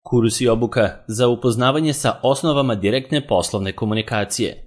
Kurs i obuka za upoznavanje sa osnovama direktne poslovne komunikacije.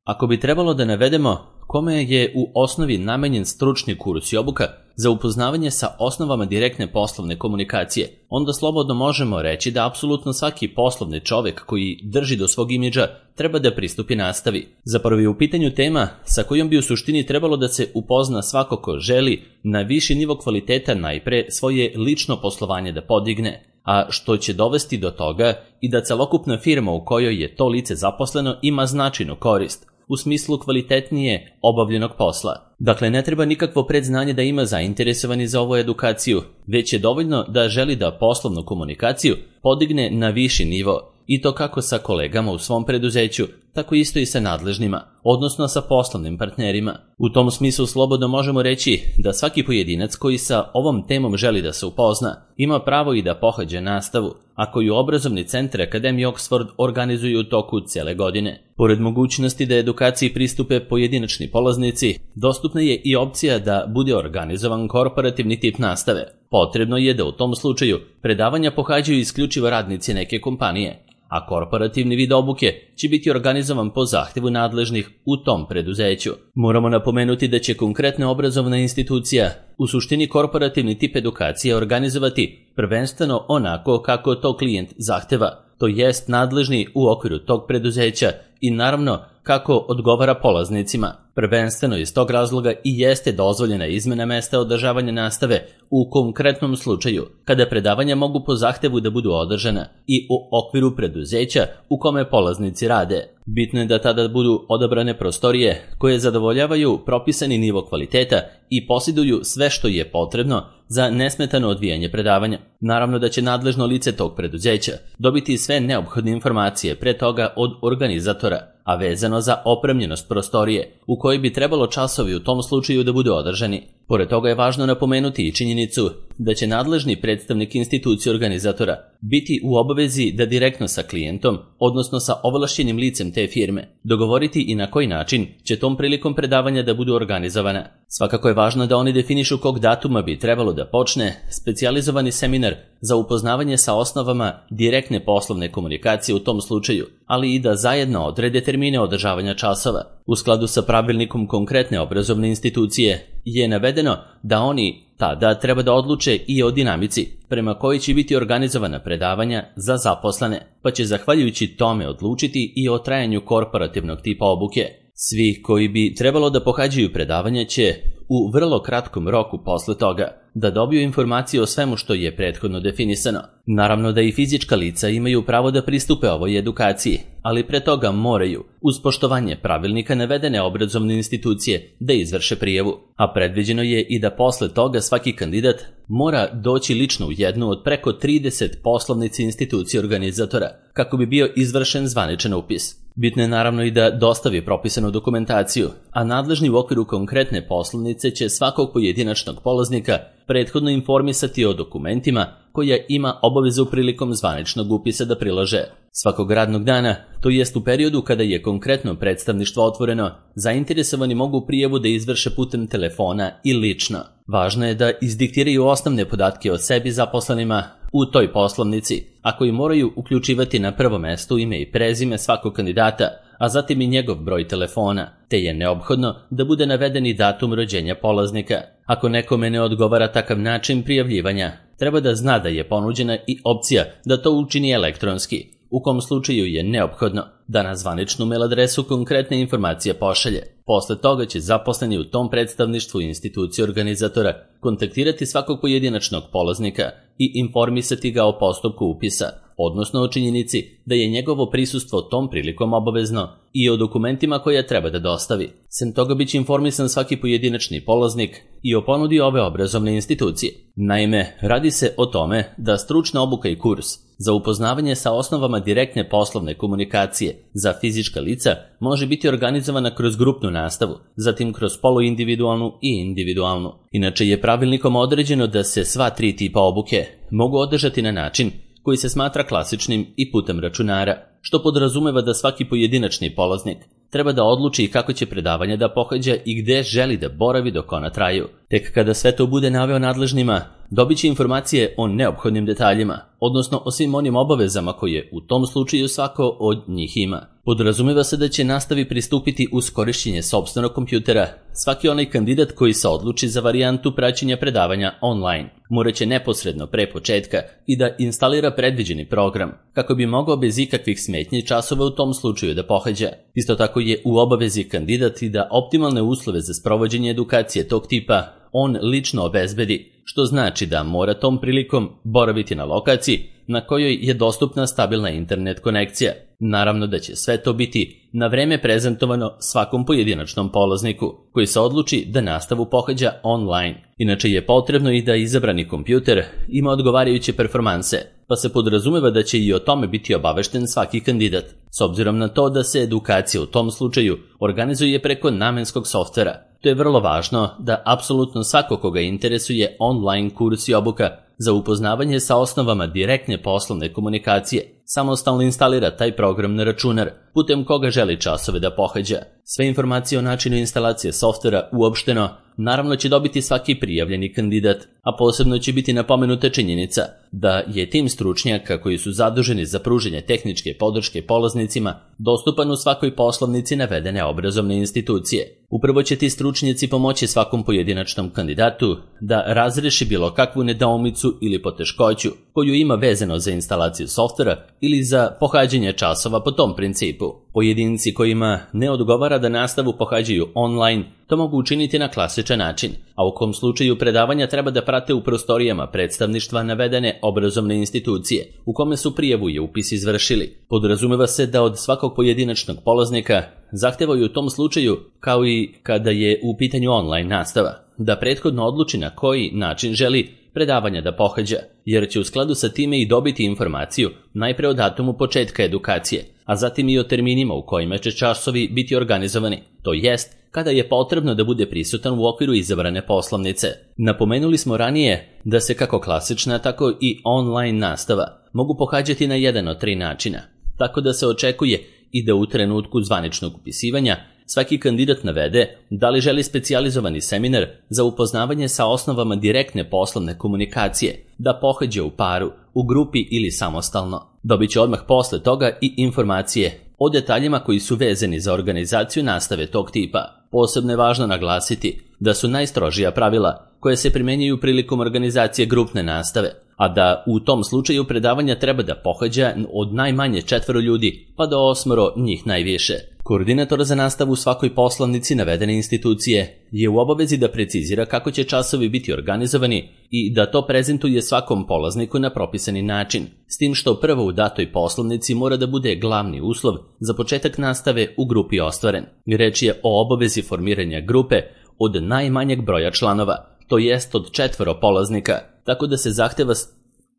Ako bi trebalo da navedemo kome je u osnovi namenjen stručni kurs i obuka za upoznavanje sa osnovama direktne poslovne komunikacije, onda slobodno možemo reći da apsolutno svaki poslovni čovek koji drži do svog imidža treba da pristupi nastavi. Zapravo je u pitanju tema sa kojom bi u suštini trebalo da se upozna svako ko želi na viši nivo kvaliteta najpre svoje lično poslovanje da podigne, a što će dovesti do toga i da celokupna firma u kojoj je to lice zaposleno ima značajnu korist u smislu kvalitetnije obavljenog posla. Dakle, ne treba nikakvo predznanje da ima zainteresovani za ovu edukaciju, već je dovoljno da želi da poslovnu komunikaciju podigne na viši nivo, i to kako sa kolegama u svom preduzeću, tako isto i sa nadležnima, odnosno sa poslovnim partnerima. U tom smislu slobodno možemo reći da svaki pojedinac koji sa ovom temom želi da se upozna, ima pravo i da pohađa nastavu, a koju obrazovni centar Akademije Oxford organizuju u toku cele godine. Pored mogućnosti da edukaciji pristupe pojedinačni polaznici, dostupna je i opcija da bude organizovan korporativni tip nastave. Potrebno je da u tom slučaju predavanja pohađaju isključivo radnici neke kompanije, a korporativni vid obuke će biti organizovan po zahtevu nadležnih u tom preduzeću. Moramo napomenuti da će konkretna obrazovna institucija u suštini korporativni tip edukacije organizovati prvenstveno onako kako to klijent zahteva, to jest nadležni u okviru tog preduzeća i naravno kako odgovara polaznicima. Prvenstveno iz tog razloga i jeste dozvoljena izmena mesta održavanja nastave u konkretnom slučaju, kada predavanja mogu po zahtevu da budu održana i u okviru preduzeća u kome polaznici rade. Bitno je da tada budu odabrane prostorije koje zadovoljavaju propisani nivo kvaliteta i posjeduju sve što je potrebno za nesmetano odvijanje predavanja. Naravno da će nadležno lice tog preduzeća dobiti sve neophodne informacije pre toga od organizatora, a vezano za opremljenost prostorije u kojoj bi trebalo časovi u tom slučaju da budu održani. Pored toga je važno napomenuti i činjenicu da će nadležni predstavnik institucije organizatora biti u obavezi da direktno sa klijentom, odnosno sa ovlašćenim licem te firme, dogovoriti i na koji način će tom prilikom predavanja da budu organizovana. Svakako je važno da oni definišu kog datuma bi trebalo da počne specijalizovani seminar za upoznavanje sa osnovama direktne poslovne komunikacije u tom slučaju, ali i da zajedno odrede termine održavanja časova. U skladu sa pravilnikom konkretne obrazovne institucije je navedeno da oni tada treba da odluče i o dinamici prema kojoj će biti organizovana predavanja za zaposlene, pa će zahvaljujući tome odlučiti i o trajanju korporativnog tipa obuke. Svi koji bi trebalo da pohađaju predavanja će u vrlo kratkom roku posle toga da dobiju informacije o svemu što je prethodno definisano. Naravno da i fizička lica imaju pravo da pristupe ovoj edukaciji, ali pre toga moraju, uz poštovanje pravilnika navedene obrazovne institucije, da izvrše prijavu, a predviđeno je i da posle toga svaki kandidat mora doći lično u jednu od preko 30 poslovnici institucije organizatora, kako bi bio izvršen zvaničan upis. Bitno je naravno i da dostavi propisanu dokumentaciju, a nadležni u okviru konkretne poslovnice će svakog pojedinačnog polaznika prethodno informisati o dokumentima koja ima obavezu prilikom zvaničnog upisa da prilože. Svakog radnog dana, to jest u periodu kada je konkretno predstavništvo otvoreno, zainteresovani mogu prijavu da izvrše putem telefona i lično. Važno je da izdiktiraju osnovne podatke o sebi zaposlenima u toj poslovnici, a koji moraju uključivati na prvo mesto ime i prezime svakog kandidata, a zatim i njegov broj telefona, te je neophodno da bude naveden i datum rođenja polaznika. Ako nekome ne odgovara takav način prijavljivanja, treba da zna da je ponuđena i opcija da to učini elektronski, u kom slučaju je neophodno da na zvaničnu mail adresu konkretne informacije pošalje. Posle toga će zaposleni u tom predstavništvu institucije organizatora kontaktirati svakog pojedinačnog polaznika i informisati ga o postupku upisa, odnosno o činjenici da je njegovo prisustvo tom prilikom obavezno i o dokumentima koje treba da dostavi. Sem toga biće informisan svaki pojedinačni polaznik i o ponudi ove obrazovne institucije. Naime, radi se o tome da stručna obuka i kurs za upoznavanje sa osnovama direktne poslovne komunikacije za fizička lica može biti organizovana kroz grupnu nastavu, zatim kroz poluindividualnu i individualnu. Inače je pravilnikom određeno da se sva tri tipa obuke mogu održati na način koji se smatra klasičnim i putem računara, što podrazumeva da svaki pojedinačni polaznik treba da odluči kako će predavanje da pohađa i gde želi da boravi dok ona traju. Tek kada sve to bude naveo nadležnima, dobit će informacije o neophodnim detaljima, odnosno o svim onim obavezama koje u tom slučaju svako od njih ima. Podrazumeva se da će nastavi pristupiti uz korišćenje sopstvenog kompjutera svaki onaj kandidat koji se odluči za varijantu praćenja predavanja online. Moraće neposredno pre početka i da instalira predviđeni program, kako bi mogao bez ikakvih smetnji časova u tom slučaju da pohađa. Isto tako je u obavezi kandidat i da optimalne uslove za sprovođenje edukacije tog tipa on lično obezbedi, što znači da mora tom prilikom boraviti na lokaciji na kojoj je dostupna stabilna internet konekcija. Naravno da će sve to biti na vreme prezentovano svakom pojedinačnom polazniku koji se odluči da nastavu pohađa online. Inače je potrebno i da izabrani kompjuter ima odgovarajuće performanse, pa se podrazumeva da će i o tome biti obavešten svaki kandidat, s obzirom na to da se edukacija u tom slučaju organizuje preko namenskog softvera. To je vrlo važno da apsolutno svako koga interesuje online kurs i obuka za upoznavanje sa osnovama direktne poslovne komunikacije samostalno instalira taj program na računar putem koga želi časove da pohađa. Sve informacije o načinu instalacije softvera uopšteno naravno će dobiti svaki prijavljeni kandidat, a posebno će biti napomenuta činjenica da je tim stručnjaka koji su zaduženi za pružanje tehničke podrške polaznicima dostupan u svakoj poslovnici navedene obrazovne institucije. Upravo će ti stručnjaci pomoći svakom pojedinačnom kandidatu da razreši bilo kakvu nedoumicu ili poteškoću koju ima vezano za instalaciju softvera ili za pohađanje časova po tom principu. Pojedinci kojima ne odgovara da nastavu pohađaju online to mogu učiniti na klasičan način, a u kom slučaju predavanja treba da prate u prostorijama predstavništva navedene obrazovne institucije u kome su prijavu i upis izvršili. Podrazumeva se da od svakog pojedinačnog polaznika zahtevaju u tom slučaju, kao i kada je u pitanju online nastava, da prethodno odluči na koji način želi predavanja da pohađa, jer će u skladu sa time i dobiti informaciju najpre o datumu početka edukacije, a zatim i o terminima u kojima će časovi biti organizovani, to jest kada je potrebno da bude prisutan u okviru izabrane poslovnice. Napomenuli smo ranije da se kako klasična, tako i online nastava mogu pohađati na jedan od 3 načina, tako da se očekuje i da u trenutku zvaničnog upisivanja svaki kandidat navede da li želi specijalizovani seminar za upoznavanje sa osnovama direktne poslovne komunikacije da pohađa u paru, u grupi ili samostalno. Dobit će odmah posle toga i informacije o detaljima koji su vezani za organizaciju nastave tog tipa. Posebno je važno naglasiti da su najstrožija pravila koje se primenjuju prilikom organizacije grupne nastave, a da u tom slučaju predavanja treba da pohađa od najmanje 4 ljudi pa do 8 njih najviše. Koordinator za nastavu u svakoj poslovnici navedene institucije je u obavezi da precizira kako će časovi biti organizovani i da to prezentuje svakom polazniku na propisani način, s tim što prvo u datoj poslovnici mora da bude glavni uslov za početak nastave u grupi ostvaren. Reč je o obavezi formiranja grupe od najmanjeg broja članova, to jest od 4 polaznika, tako da se zahteva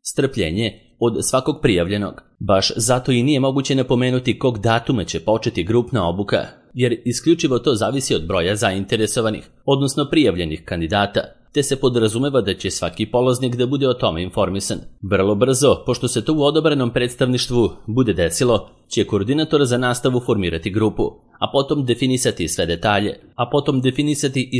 strpljenje od svakog prijavljenog. Baš zato i nije moguće napomenuti kog datuma će početi grupna obuka, jer isključivo to zavisi od broja zainteresovanih, odnosno prijavljenih kandidata, te se podrazumeva da će svaki polaznik da bude o tome informisan. Vrlo brzo, pošto se to u odobrenom predstavništvu bude desilo, će koordinator za nastavu formirati grupu, a potom definisati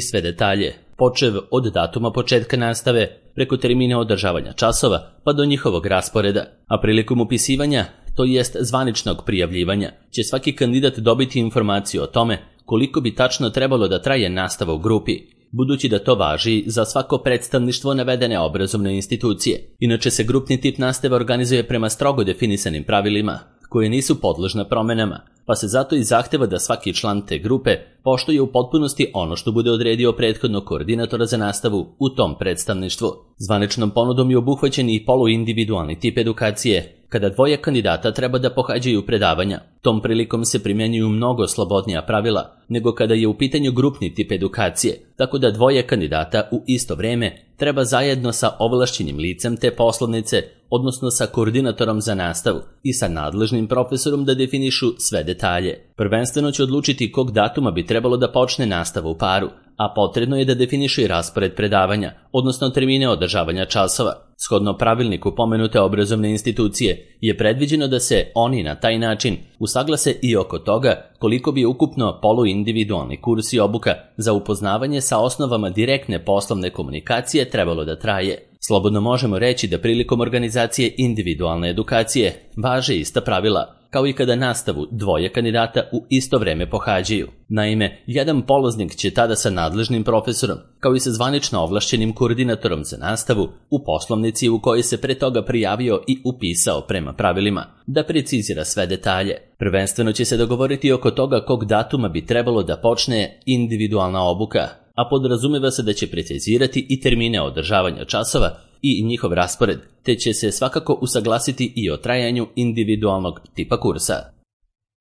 sve detalje, počev od datuma početka nastave, preko termina održavanja časova, pa do njihovog rasporeda. A prilikom upisivanja, to jest zvaničnog prijavljivanja, će svaki kandidat dobiti informaciju o tome koliko bi tačno trebalo da traje nastava u grupi, budući da to važi za svako predstavništvo navedene obrazovne institucije. Inače se grupni tip nastave organizuje prema strogo definisanim pravilima, koje nisu podložna promenama, pa se zato i zahteva da svaki član te grupe poštuje u potpunosti ono što bude odredio prethodno koordinatora za nastavu u tom predstavništvu. Zvaničnom ponudom je obuhvaćen i poluindividualni tip edukacije, kada 2 kandidata treba da pohađaju predavanja. Tom prilikom se primjenjuju mnogo slobodnija pravila nego kada je u pitanju grupni tip edukacije, tako da 2 kandidata u isto vreme treba zajedno sa ovlašćenim licem te poslovnice, odnosno sa koordinatorom za nastavu i sa nadležnim profesorom da definišu sve detalje. Prvenstveno će odlučiti kog datuma bi trebalo da počne nastava u paru, a potrebno je da definišu i raspored predavanja, odnosno termine održavanja časova. Shodno pravilniku pomenute obrazovne institucije je predviđeno da se oni na taj način usaglase i oko toga koliko bi ukupno poluindividualni kurs i obuka za upoznavanje sa osnovama direktne poslovne komunikacije trebalo da traje. Slobodno možemo reći da prilikom organizacije individualne edukacije važe ista pravila, kao i kada nastavu dvoje kandidata u isto vreme pohađaju. Naime, jedan polaznik će tada sa nadležnim profesorom, kao i sa zvanično ovlašćenim koordinatorom za nastavu, u poslovnici u kojoj se pre toga prijavio i upisao prema pravilima, da precizira sve detalje. Prvenstveno će se dogovoriti oko toga kog datuma bi trebalo da počne individualna obuka, a podrazumeva se da će precizirati i termine održavanja časova i njihov raspored, te će se svakako usaglasiti i o trajanju individualnog tipa kursa.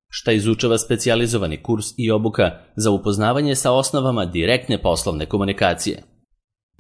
Šta izučava specijalizovani kurs i obuka za upoznavanje sa osnovama direktne poslovne komunikacije?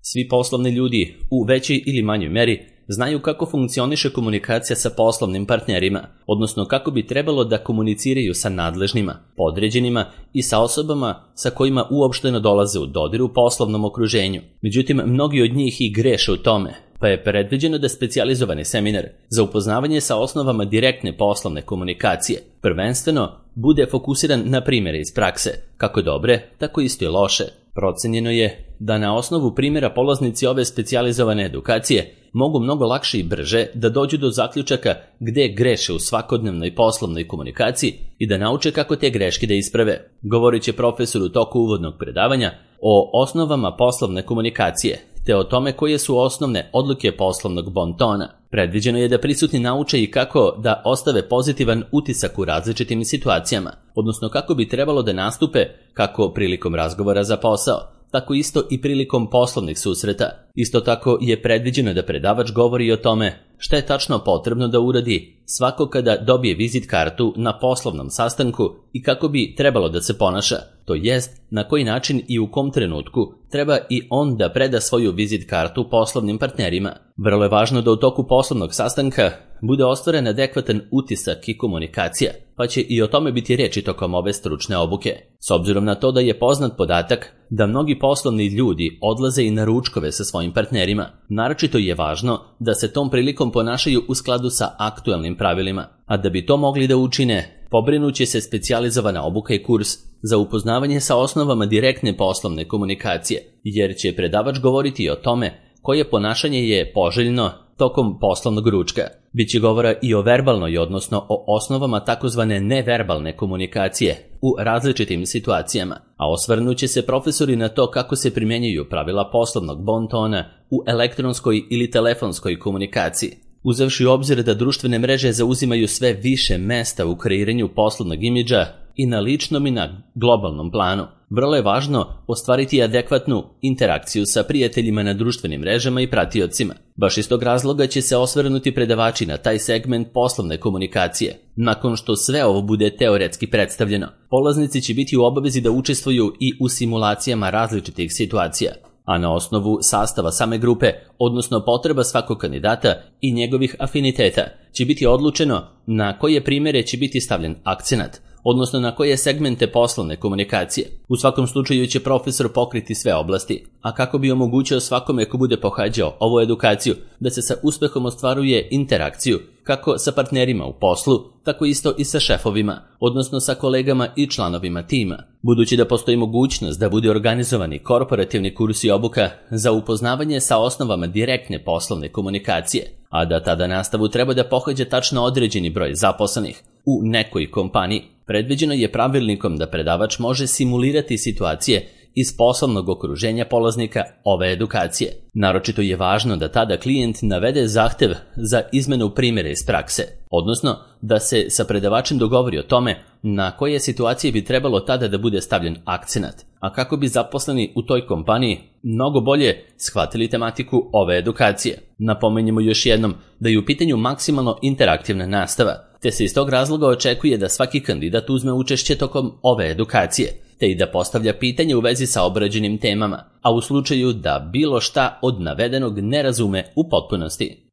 Svi poslovni ljudi, u većoj ili manjoj meri, znaju kako funkcioniše komunikacija sa poslovnim partnerima, odnosno kako bi trebalo da komuniciraju sa nadležnima, podređenima i sa osobama sa kojima uopšteno dolaze u dodir u poslovnom okruženju. Međutim, mnogi od njih i greše u tome, pa je predviđeno da specijalizovani seminar za upoznavanje sa osnovama direktne poslovne komunikacije prvenstveno bude fokusiran na primjere iz prakse, kako dobre, tako isto i loše. Procenjeno je da na osnovu primjera polaznici ove specijalizovane edukacije mogu mnogo lakše i brže da dođu do zaključaka gde greše u svakodnevnoj poslovnoj komunikaciji i da nauče kako te greške da isprave. Govorit će profesor u toku uvodnog predavanja o osnovama poslovne komunikacije, te o tome koje su osnovne odlike poslovnog bontona. Predviđeno je da prisutni nauče i kako da ostave pozitivan utisak u različitim situacijama, odnosno kako bi trebalo da nastupe kako prilikom razgovora za posao, tako isto i prilikom poslovnih susreta. Isto tako je predviđeno da predavač govori o tome šta je tačno potrebno da uradi svako kada dobije vizit kartu na poslovnom sastanku i kako bi trebalo da se ponaša, to jest na koji način i u kom trenutku treba i on da preda svoju vizit kartu poslovnim partnerima. Vrlo je važno da u toku poslovnog sastanka bude ostvaren adekvatan utisak i komunikacija, pa će i o tome biti reči tokom ove stručne obuke. S obzirom na to da je poznat podatak da mnogi poslovni ljudi odlaze i na ručkove sa svojim partnerima, naročito je važno da se tom prilikom ponašaju u skladu sa aktuelnim pravilima, a da bi to mogli da učine, pobrinuće se specijalizovana obuka i kurs za upoznavanje sa osnovama direktne poslovne komunikacije, jer će predavač govoriti o tome koje ponašanje je poželjno tokom poslovnog ručka. Biće govora i o verbalnoj, odnosno o osnovama takozvane neverbalne komunikacije u različitim situacijama, a osvrnuće se profesori na to kako se primjenjuju pravila poslovnog bontona u elektronskoj ili telefonskoj komunikaciji. Uzevši u obzir da društvene mreže zauzimaju sve više mesta u kreiranju poslovnog imidža i na ličnom i na globalnom planu, vrlo je važno ostvariti adekvatnu interakciju sa prijateljima na društvenim mrežama i pratiocima. Baš iz tog razloga će se osvrnuti predavači na taj segment poslovne komunikacije. Nakon što sve ovo bude teoretski predstavljeno, polaznici će biti u obavezi da učestvuju i u simulacijama različitih situacija, a na osnovu sastava same grupe, odnosno potreba svakog kandidata i njegovih afiniteta, će biti odlučeno na koje primjere će biti stavljen akcenat, odnosno na koje segmente poslovne komunikacije. U svakom slučaju će profesor pokriti sve oblasti, a kako bi omogućio svakome ko bude pohađao ovu edukaciju da se sa uspehom ostvaruje interakciju kako sa partnerima u poslu, tako isto i sa šefovima, odnosno sa kolegama i članovima tima. Budući da postoji mogućnost da bude organizovani korporativni kurs i obuka za upoznavanje sa osnovama direktne poslovne komunikacije, a da tada nastavu treba da pohađa tačno određeni broj zaposlenih u nekoj kompaniji, predviđeno je pravilnikom da predavač može simulirati situacije iz poslovnog okruženja polaznika ove edukacije. Naročito je važno da tada klijent navede zahtev za izmenu primjera iz prakse, odnosno da se sa predavačem dogovori o tome na koje situacije bi trebalo tada da bude stavljen akcenat, a kako bi zaposleni u toj kompaniji mnogo bolje shvatili tematiku ove edukacije. Napomenjemo još jednom da je u pitanju maksimalno interaktivna nastava, te se iz tog razloga očekuje da svaki kandidat uzme učešće tokom ove edukacije, te i da postavlja pitanje u vezi sa obrađenim temama, a u slučaju da bilo šta od navedenog ne razume u potpunosti.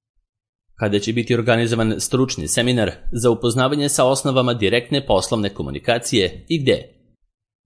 Kada će biti organizovan stručni seminar za upoznavanje sa osnovama direktne poslovne komunikacije i gde?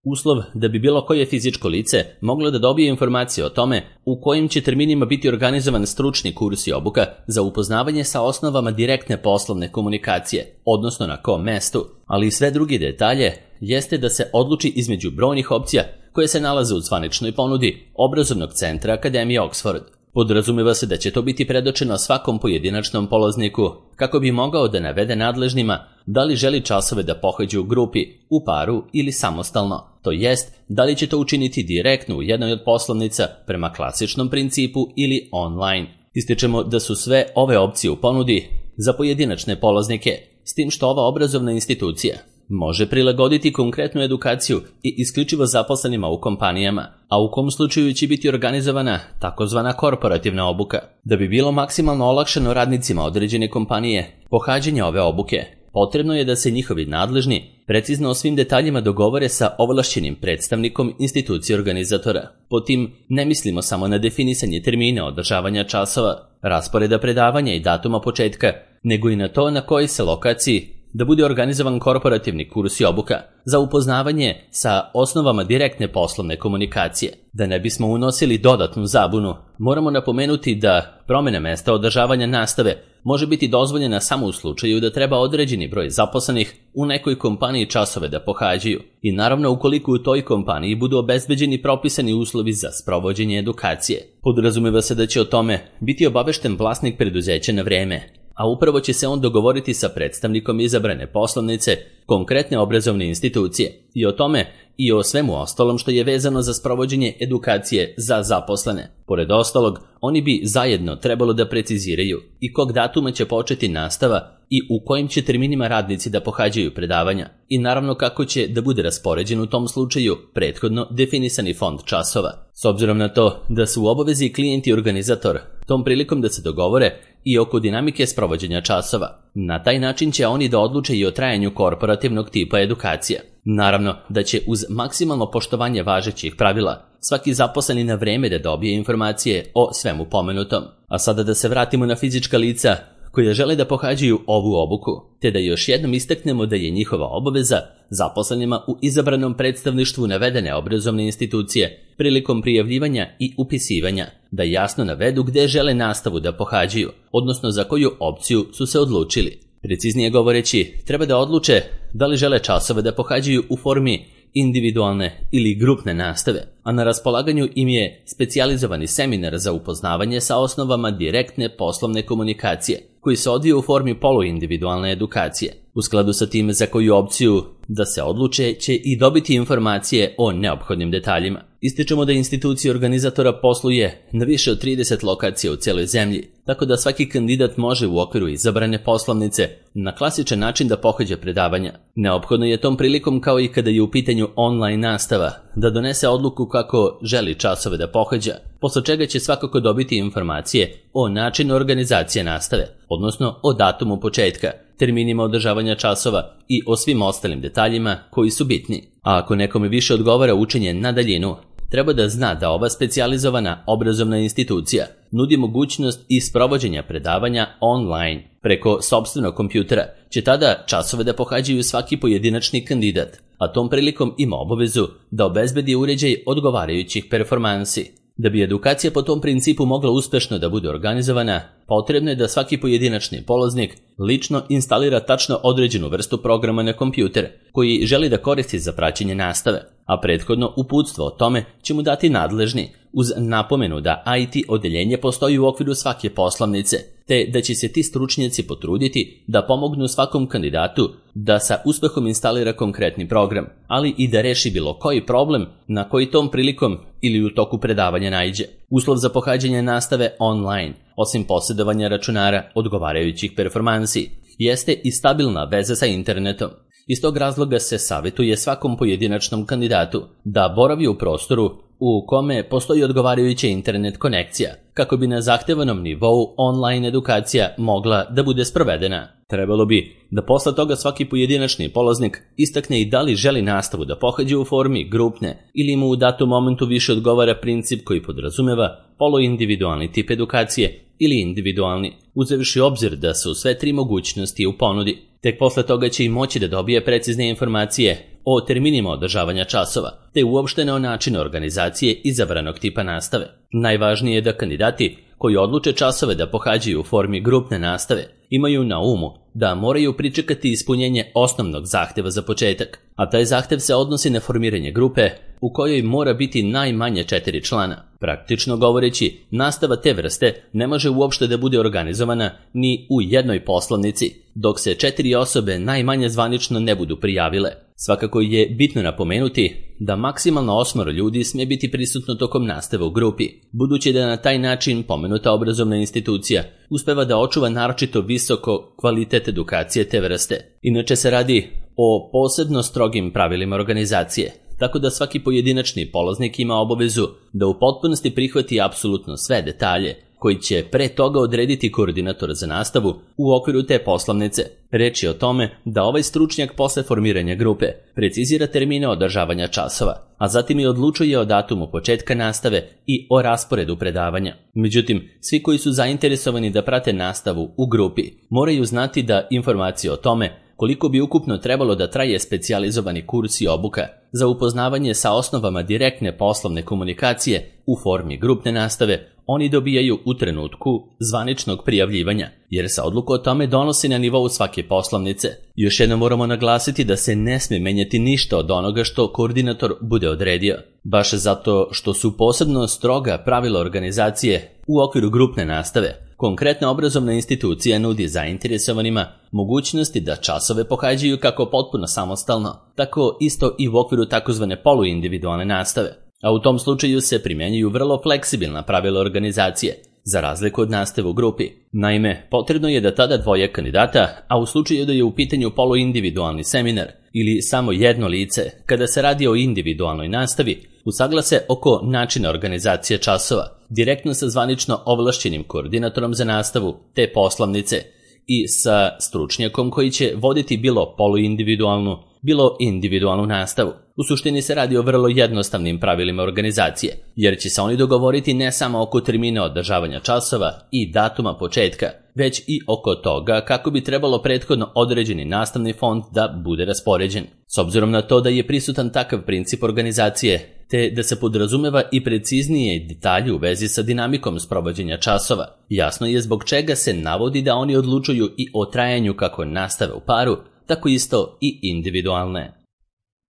Uslov da bi bilo koje fizičko lice moglo da dobije informacije o tome u kojim će terminima biti organizovan stručni kurs i obuka za upoznavanje sa osnovama direktne poslovne komunikacije, odnosno na kom mestu, ali i sve drugi detalje, jeste da se odluči između brojnih opcija koje se nalaze u zvaničnoj ponudi obrazovnog centra Akademije Oxford. Podrazumeva se da će to biti predočeno svakom pojedinačnom polazniku kako bi mogao da navede nadležnima da li želi časove da pohađa u grupi, u paru ili samostalno, to jest da li će to učiniti direktno u jednoj od poslovnica prema klasičnom principu ili online. Ističemo da su sve ove opcije u ponudi za pojedinačne polaznike, s tim što ova obrazovna institucija može prilagoditi konkretnu edukaciju i isključivo zaposlenima u kompanijama, a u kom slučaju će biti organizovana takozvana korporativna obuka. Da bi bilo maksimalno olakšano radnicima određene kompanije pohađanje ove obuke, potrebno je da se njihovi nadležni precizno o svim detaljima dogovore sa ovlašćenim predstavnikom institucije organizatora. Pod tim ne mislimo samo na definisanje termina održavanja časova, rasporeda predavanja i datuma početka, nego i na to na kojoj se lokaciji da bude organizovan korporativni kurs i obuka za upoznavanje sa osnovama direktne poslovne komunikacije. Da ne bismo unosili dodatnu zabunu, moramo napomenuti da promjena mesta održavanja nastave može biti dozvoljena samo u slučaju da treba određeni broj zaposlenih u nekoj kompaniji časove da pohađaju i naravno ukoliko u toj kompaniji budu obezbeđeni propisani uslovi za sprovođenje edukacije. Podrazumeva se da će o tome biti obavešten vlasnik preduzeća na vreme, a upravo će se on dogovoriti sa predstavnikom izabrane poslovnice, konkretne obrazovne institucije i o tome i o svemu ostalom što je vezano za sprovođenje edukacije za zaposlene. Pored ostalog, oni bi zajedno trebalo da preciziraju i kog datuma će početi nastava i u kojim će terminima radnici da pohađaju predavanja i naravno kako će da bude raspoređen u tom slučaju prethodno definisani fond časova. S obzirom na to da su u obavezi klijent i organizator tom prilikom da se dogovore i oko dinamike sprovođenja časova. Na taj način će oni da odluče i o trajanju korporativnog tipa edukacija. Naravno da će uz maksimalno poštovanje važećih pravila svaki zaposleni na vreme da dobije informacije o svemu pomenutom. A sada da se vratimo na fizička lica koje žele da pohađaju ovu obuku, te da još jednom istaknemo da je njihova obaveza zaposlenima u izabranom predstavništvu navedene obrazovne institucije prilikom prijavljivanja i upisivanja da jasno navedu gde žele nastavu da pohađaju, odnosno za koju opciju su se odlučili. Preciznije govoreći, treba da odluče da li žele časove da pohađaju u formi individualne ili grupne nastave, a na raspolaganju im je specijalizovani seminar za upoznavanje sa osnovama direktne poslovne komunikacije, koji se odvija u formi poluindividualne edukacije. U skladu sa time za koju opciju da se odluče će i dobiti informacije o neophodnim detaljima. Ističemo da institucija organizatora posluje na više od 30 lokacija u cijeloj zemlji, tako da svaki kandidat može u okviru izabrane poslovnice na klasičan način da pohađa predavanja. Neophodno je tom prilikom, kao i kada je u pitanju online nastava, da donese odluku kako želi časove da pohađa, posle čega će svakako dobiti informacije o načinu organizacije nastave, odnosno o datumu početka, terminima održavanja časova i o svim ostalim detaljima koji su bitni. A ako nekome više odgovara učenje na daljinu, treba da zna da ova specijalizovana obrazovna institucija nudi mogućnost i sprovođenja predavanja online. Preko sopstvenog kompjutera će tada časove da pohađaju svaki pojedinačni kandidat, a tom prilikom ima obavezu da obezbedi uređaj odgovarajućih performansi. Da bi edukacija po tom principu mogla uspešno da bude organizovana, potrebno je da svaki pojedinačni polaznik lično instalira tačno određenu vrstu programa na kompjuter koji želi da koristi za praćenje nastave, a prethodno uputstvo o tome će mu dati nadležni, uz napomenu da IT odeljenje postoji u okviru svake poslovnice, te da će se ti stručnjaci potruditi da pomognu svakom kandidatu da sa uspehom instalira konkretni program, ali i da reši bilo koji problem na koji tom prilikom ili u toku predavanja naiđe. Uslov za pohađanje nastave online, osim posjedovanja računara odgovarajućih performansi, jeste i stabilna veza sa internetom. Iz tog razloga se savjetuje svakom pojedinačnom kandidatu da boravi u prostoru u kome postoji odgovarajuća internet konekcija, kako bi na zahtevanom nivou online edukacija mogla da bude sprovedena. Trebalo bi da posle toga svaki pojedinačni polaznik istakne i da li želi nastavu da pohađa u formi grupne ili mu u datom momentu više odgovara princip koji podrazumeva poluindividualni tip edukacije ili individualni, uzevši obzir da su sve tri mogućnosti u ponudi. Tek posle toga će i moći da dobije precizne informacije o terminima održavanja časova, te uopšteno o načinu organizacije izabranog tipa nastave. Najvažnije je da kandidati koji odluče časove da pohađaju u formi grupne nastave imaju na umu da moraju pričekati ispunjenje osnovnog zahteva za početak, a taj zahtev se odnosi na formiranje grupe u kojoj mora biti najmanje 4 člana. Praktično govoreći, nastava te vrste ne može uopšte da bude organizovana ni u jednoj poslovnici, dok se 4 osobe najmanje zvanično ne budu prijavile. Svakako je bitno napomenuti da maksimalno 8 ljudi smije biti prisutno tokom nastave u grupi, budući da na taj način pomenuta obrazovna institucija uspeva da očuva naročito visoko kvalitet edukacije te vrste. Inače se radi o posebno strogim pravilima organizacije, tako da svaki pojedinačni polaznik ima obavezu da u potpunosti prihvati apsolutno sve detalje koji će pre toga odrediti koordinator za nastavu u okviru te poslovnice. Reč je o tome da ovaj stručnjak posle formiranja grupe precizira termine održavanja časova, a zatim i odlučuje o datumu početka nastave i o rasporedu predavanja. Međutim, svi koji su zainteresovani da prate nastavu u grupi moraju znati da informacije o tome koliko bi ukupno trebalo da traje specijalizovani kurs i obuka za upoznavanje sa osnovama direktne poslovne komunikacije u formi grupne nastave oni dobijaju u trenutku zvaničnog prijavljivanja, jer se odluka o tome donosi na nivou svake poslovnice. Još jednom moramo naglasiti da se ne smije menjati ništa od onoga što koordinator bude odredio, baš zato što su posebno stroga pravila organizacije u okviru grupne nastave. Konkretna obrazovna institucija nudi zainteresovanima mogućnosti da časove pohađaju kako potpuno samostalno, tako isto i u okviru takozvane poluindividualne nastave, a u tom slučaju se primjenjuju vrlo fleksibilna pravila organizacije, za razliku od nastave u grupi. Naime, potrebno je da tada dvoje kandidata, a u slučaju da je u pitanju poluindividualni seminar ili samo jedno lice, kada se radi o individualnoj nastavi, usaglase oko načina organizacije časova, direktno sa zvanično ovlašćenim koordinatorom za nastavu te poslovnice i sa stručnjakom koji će voditi bilo poluindividualnu, bilo individualnu nastavu. U suštini se radi o vrlo jednostavnim pravilima organizacije, jer će se oni dogovoriti ne samo oko termina održavanja časova i datuma početka, već i oko toga kako bi trebalo prethodno određeni nastavni fond da bude raspoređen. S obzirom na to da je prisutan takav princip organizacije, te da se podrazumeva i preciznije detalje u vezi sa dinamikom sprovođenja časova, jasno je zbog čega se navodi da oni odlučuju i o trajanju kako nastave u paru, tako isto i individualne.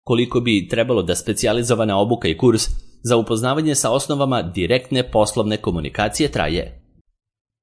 Koliko bi trebalo da specijalizovana obuka i kurs za upoznavanje sa osnovama direktne poslovne komunikacije traje?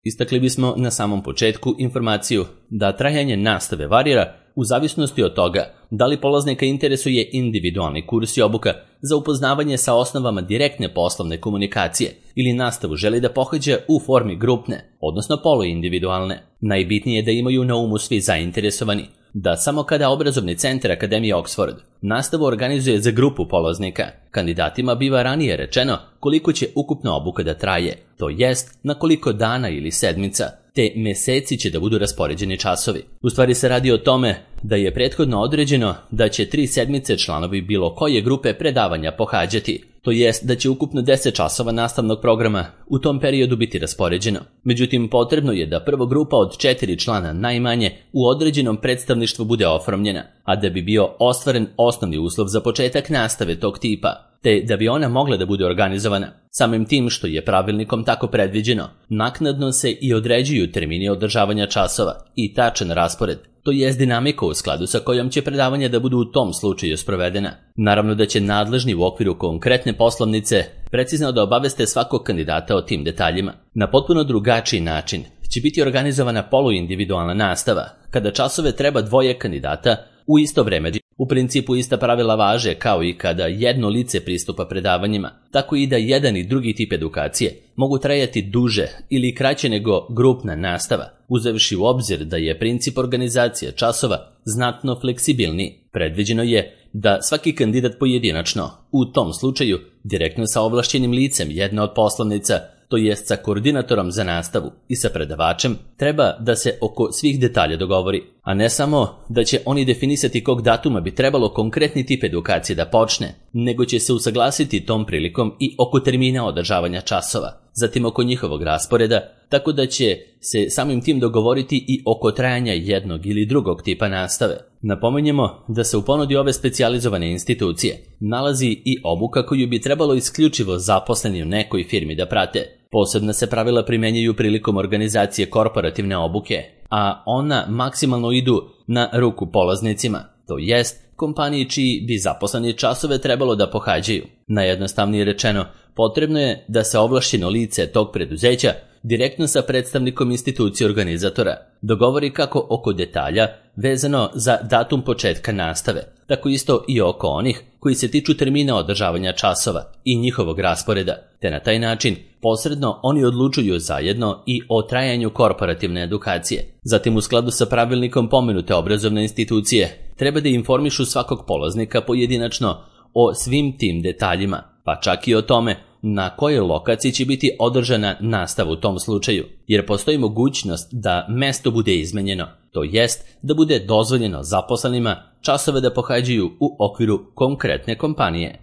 Istakli bismo na samom početku informaciju da trajanje nastave varira u zavisnosti od toga da li polaznika interesuje individualni kurs i obuka za upoznavanje sa osnovama direktne poslovne komunikacije ili nastavu želi da pohađa u formi grupne, odnosno poluindividualne. Najbitnije je da imaju na umu svi zainteresovani da samo kada obrazovni centar Akademije Oxford nastavu organizuje za grupu polaznika, kandidatima biva ranije rečeno koliko će ukupna obuka da traje, to jest na koliko dana ili sedmica, te meseci će da budu raspoređeni časovi. U stvari se radi o tome da je prethodno određeno da će 3 sedmice članovi bilo koje grupe predavanja pohađati, to jest da će ukupno 10 časova nastavnog programa u tom periodu biti raspoređeno. Međutim, potrebno je da prva grupa od 4 člana najmanje u određenom predstavništvu bude oformljena, a da bi bio ostvaren osnovni uslov za početak nastave tog tipa, te da bi ona mogla da bude organizovana. Samim tim što je pravilnikom tako predviđeno, naknadno se i određuju termini održavanja časova i tačan raspored, to jest dinamika u skladu sa kojom će predavanja da budu u tom slučaju sprovedena. Naravno da će nadležni u okviru konkretne poslovnice precizno da obaveste svakog kandidata o tim detaljima. Na potpuno drugačiji način će biti organizovana poluindividualna nastava, kada časove treba dvoje kandidata u isto vreme. U principu ista pravila važe kao i kada jedno lice pristupa predavanjima, tako i da jedan i drugi tip edukacije mogu trajati duže ili kraće nego grupna nastava, uzevši u obzir da je princip organizacije časova znatno fleksibilniji. Predviđeno je da svaki kandidat pojedinačno, u tom slučaju direktno sa ovlašćenim licem jedne od poslovnica, to jest sa koordinatorom za nastavu i sa predavačem, treba da se oko svih detalja dogovori. a ne samo da će oni definisati kog datuma bi trebalo konkretni tip edukacije da počne, nego će se usaglasiti tom prilikom i oko termina održavanja časova, zatim oko njihovog rasporeda, tako da će se samim tim dogovoriti i oko trajanja jednog ili drugog tipa nastave. Napominjemo da se u ponudi ove specijalizovane institucije nalazi i obuka koju bi trebalo isključivo zaposleni u nekoj firmi da prate. Posebna se pravila primenjuju prilikom organizacije korporativne obuke, a ona maksimalno idu na ruku polaznicima, to jest kompaniji čiji bi zaposleni časove trebalo da pohađaju. Najjednostavnije rečeno, potrebno je da se ovlašćeno lice tog preduzeća direktno sa predstavnikom institucije organizatora dogovori kako oko detalja vezano za datum početka nastave, tako isto i oko onih koji se tiču termina održavanja časova i njihovog rasporeda, te na taj način posredno oni odlučuju zajedno i o trajanju korporativne edukacije. Zatim u skladu sa pravilnikom pomenute obrazovne institucije treba da informišu svakog polaznika pojedinačno o svim tim detaljima, pa čak i o tome na kojoj lokaciji će biti održana nastava u tom slučaju, jer postoji mogućnost da mesto bude izmenjeno, to jest da bude dozvoljeno zaposlenima časove da pohađaju u okviru konkretne kompanije.